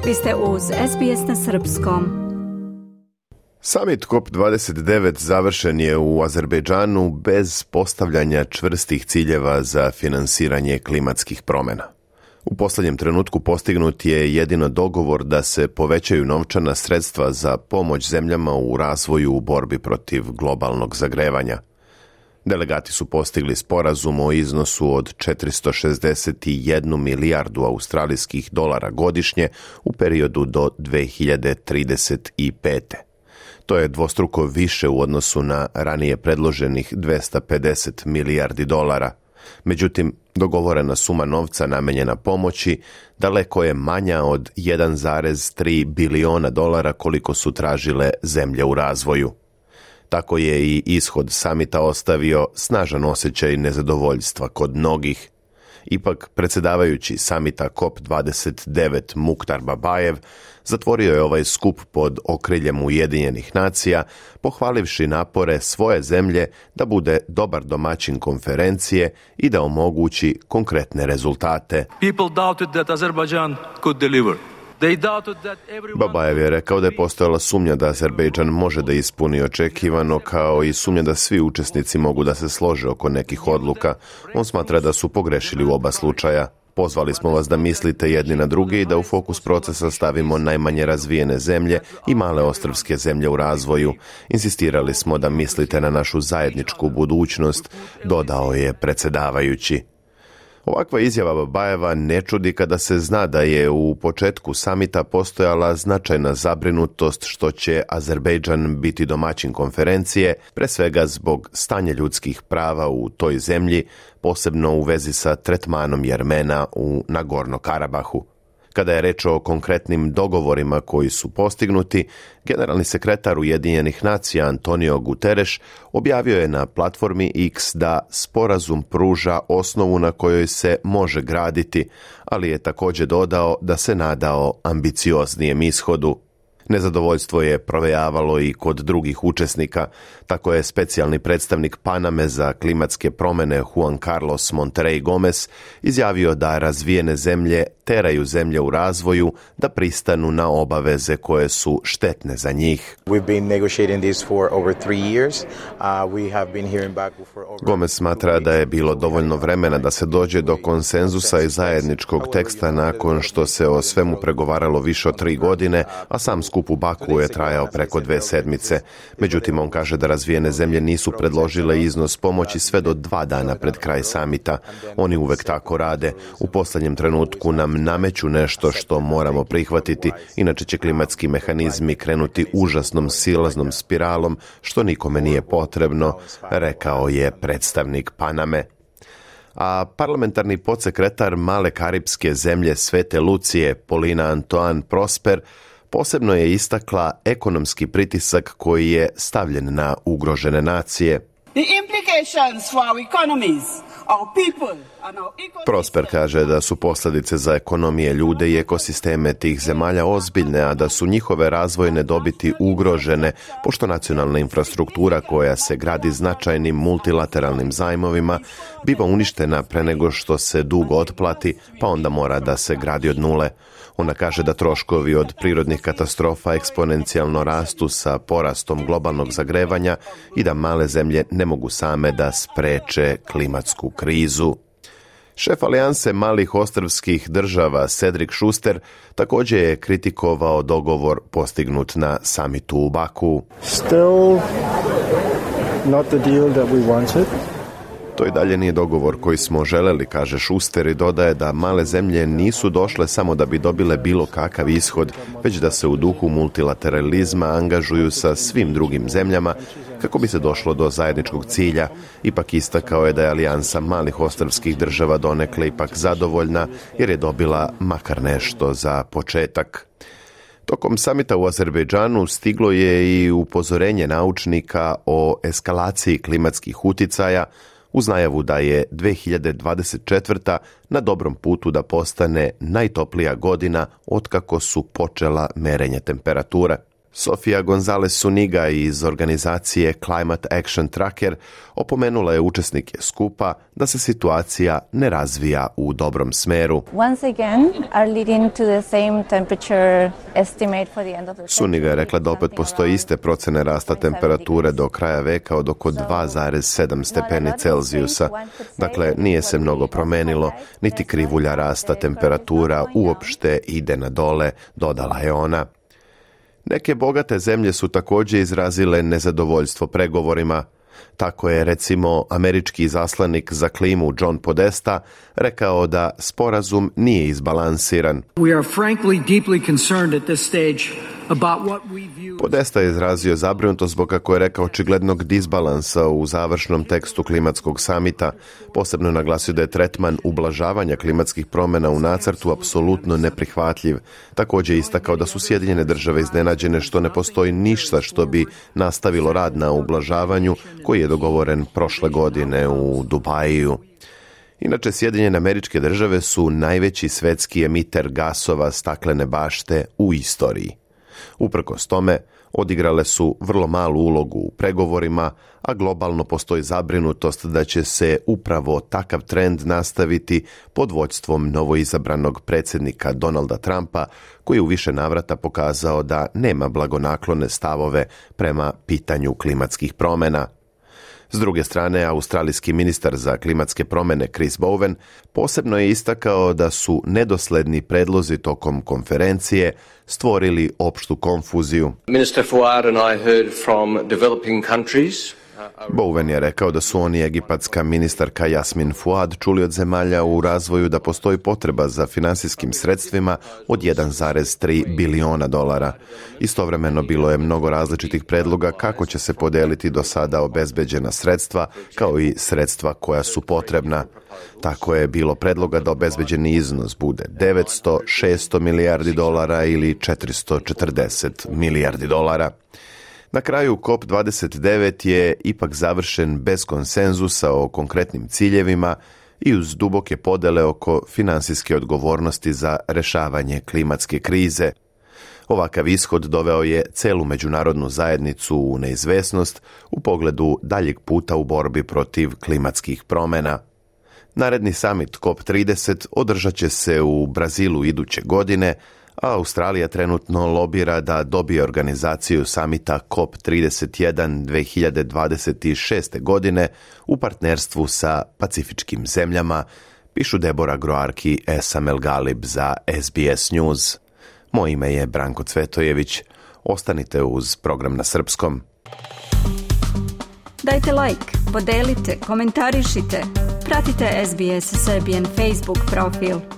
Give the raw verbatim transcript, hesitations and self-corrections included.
Vi ste uz S B S na srpskom. Summit C O P dvadeset devet završen je u Azerbejdžanu bez postavljanja čvrstih ciljeva za finansiranje klimatskih promjena. U posljednjem trenutku postignut je jedino dogovor da se povećaju novčana sredstva za pomoć zemljama u razvoju u borbi protiv globalnog zagrevanja. Delegati su postigli sporazum o iznosu od četiristo šezdeset jednu milijardu australijskih dolara godišnje u periodu do dvije hiljade trideset pete. To je dvostruko više u odnosu na ranije predloženih dvjesto pedeset milijardi dolara. Međutim, dogovorena suma novca namijenjena pomoći daleko je manja od jedan zarez tri biliona dolara koliko su tražile zemlje u razvoju. Tako je i ishod samita ostavio snažan osjećaj nezadovoljstva kod mnogih. Ipak, predsjedavajući samita C O P dvadeset devet Mukhtar Babajev zatvorio je ovaj skup pod okriljem Ujedinjenih nacija, pohvalivši napore svoje zemlje da bude dobar domaćin konferencije i da omogući konkretne rezultate. People doubted that Azerbaijan could deliver. Babajev je rekao da je postojala sumnja da Azerbejdžan može da ispuni očekivano, kao i sumnja da svi učesnici mogu da se slože oko nekih odluka. On smatra da su pogrešili u oba slučaja. Pozvali smo vas da mislite jedni na druge i da u fokus procesa stavimo najmanje razvijene zemlje i male ostrvske zemlje u razvoju. Insistirali smo da mislite na našu zajedničku budućnost, dodao je predsjedavajući. Ovakva izjava Babajeva ne čudi kada se zna da je u početku samita postojala značajna zabrinutost što će Azerbejdžan biti domaćin konferencije, pre svega zbog stanja ljudskih prava u toj zemlji, posebno u vezi sa tretmanom Jermena u Nagorno-Karabahu. Kada je reč o konkretnim dogovorima koji su postignuti, generalni sekretar Ujedinjenih nacija Antonio Guterres objavio je na platformi X da sporazum pruža osnovu na kojoj se može graditi, ali je također dodao da se nadao ambicioznijem ishodu. Nezadovoljstvo je provejavalo i kod drugih učesnika, tako je specijalni predstavnik Paname za klimatske promjene Juan Carlos Monterrey Gomez izjavio da razvijene zemlje teraju zemlje u razvoju da pristanu na obaveze koje su štetne za njih. Gomez smatra da je bilo dovoljno vremena da se dođe do konsenzusa i zajedničkog teksta nakon što se o svemu pregovaralo više od tri godine, a sam skup u Baku je trajao preko dve sedmice. Međutim, on kaže da razvijene zemlje nisu predložile iznos pomoći sve do dva dana pred kraj samita. Oni uvek tako rade. U posljednjem trenutku nam nameću nešto što moramo prihvatiti, inače će klimatski mehanizmi krenuti užasnom silaznom spiralom, što nikome nije potrebno, rekao je predstavnik Paname. A parlamentarni podsekretar male karipske zemlje Svete Lucije, Polina Antoine Prosper, posebno je istakla ekonomski pritisak koji je stavljen na ugrožene nacije. The implications for our economies, our people and our ecosystem. Prosper kaže da su posljedice za ekonomije, ljude i ekosisteme tih zemalja ozbiljne, a da su njihove razvojne dobiti ugrožene, pošto nacionalna infrastruktura koja se gradi značajnim multilateralnim zajmovima biva uništena pre nego što se dug otplati, pa onda mora da se gradi od nule. Ona kaže da troškovi od prirodnih katastrofa eksponencijalno rastu sa porastom globalnog zagrevanja i da male zemlje ne mogu same da spreče klimatsku krizu. Šef alijanse malih ostrvskih država Cedric Schuster također je kritikovao dogovor postignut na samitu u Baku. Still not the deal that we wanted. To i dalje nije dogovor koji smo želeli, kaže Schuster i dodaje da male zemlje nisu došle samo da bi dobile bilo kakav ishod, već da se u duhu multilateralizma angažuju sa svim drugim zemljama kako bi se došlo do zajedničkog cilja. Ipak istakao je da je alijansa malih ostrvskih država donekle ipak zadovoljna jer je dobila makar nešto za početak. Tokom samita u Azerbejdžanu stiglo je i upozorenje naučnika o eskalaciji klimatskih uticaja, uz najavu da je dvije hiljade dvadeset četvrta na dobrom putu da postane najtoplija godina otkako su počela merenje temperature. Sofia González Zuniga iz organizacije Climate Action Tracker opomenula je učesnike skupa da se situacija ne razvija u dobrom smeru. Zuniga je rekla da opet postoje iste procene rasta temperature do kraja veka od oko dva zarez sedam stepeni Celzijusa. Dakle, nije se mnogo promenilo, niti krivulja rasta temperatura uopšte ide na dole, dodala je ona. Neke bogate zemlje su također izrazile nezadovoljstvo pregovorima. Tako je, recimo, američki izaslanik za klimu John Podesta rekao da sporazum nije izbalansiran. We are frankly deeply concerned at this stage about what we view... Podesta je izrazio zabrinutost zbog, kako je rekao, očiglednog disbalansa u završnom tekstu klimatskog samita. Posebno naglasio da je tretman ublažavanja klimatskih promjena u nacrtu apsolutno neprihvatljiv. Također istakao da su Sjedinjene države iznenađene što ne postoji ništa što bi nastavilo rad na ublažavanju koji je dogovoren prošle godine u Dubaju. Inače, Sjedinjene Američke Države su najveći svetski emiter gasova staklene bašte u istoriji. Uprkos tome, odigrale su vrlo malu ulogu u pregovorima, a globalno postoji zabrinutost da će se upravo takav trend nastaviti pod vođstvom novoizabranog predsjednika Donalda Trumpa, koji je u više navrata pokazao da nema blagonaklone stavove prema pitanju klimatskih promjena. S druge strane, australijski ministar za klimatske promjene Chris Bowen posebno je istakao da su nedosledni predlozi tokom konferencije stvorili opštu konfuziju. Minister Fuad and I heard from developing countries. Bowen je rekao da su oni, egipatska ministarka Jasmin Fuad, čuli od zemalja u razvoju da postoji potreba za finansijskim sredstvima od jedan zarez tri biliona dolara. Istovremeno bilo je mnogo različitih predloga kako će se podijeliti do sada obezbeđena sredstva, kao i sredstva koja su potrebna. Tako je bilo predloga da obezbeđeni iznos bude devetsto, šesto milijardi dolara ili četiristo četrdeset milijardi dolara. Na kraju COP dvadeset devet je ipak završen bez konsenzusa o konkretnim ciljevima i uz duboke podele oko finansijske odgovornosti za rješavanje klimatske krize. Ovakav ishod doveo je celu međunarodnu zajednicu u neizvesnost u pogledu daljeg puta u borbi protiv klimatskih promjena. Naredni summit COP trideset održat će se u Brazilu iduće godine, a Australija trenutno lobira da dobije organizaciju samita COP trideset jedan dve hiljade dvadeset šeste. godine u partnerstvu sa pacifičkim zemljama, pišu Debora Groarki i Esam El Galib za S B S News. Moje ime je Branko Cvetojević. Ostanite uz program na srpskom. Dajte like, podelite, komentarišite. Pratite S B S Serbian Facebook profil.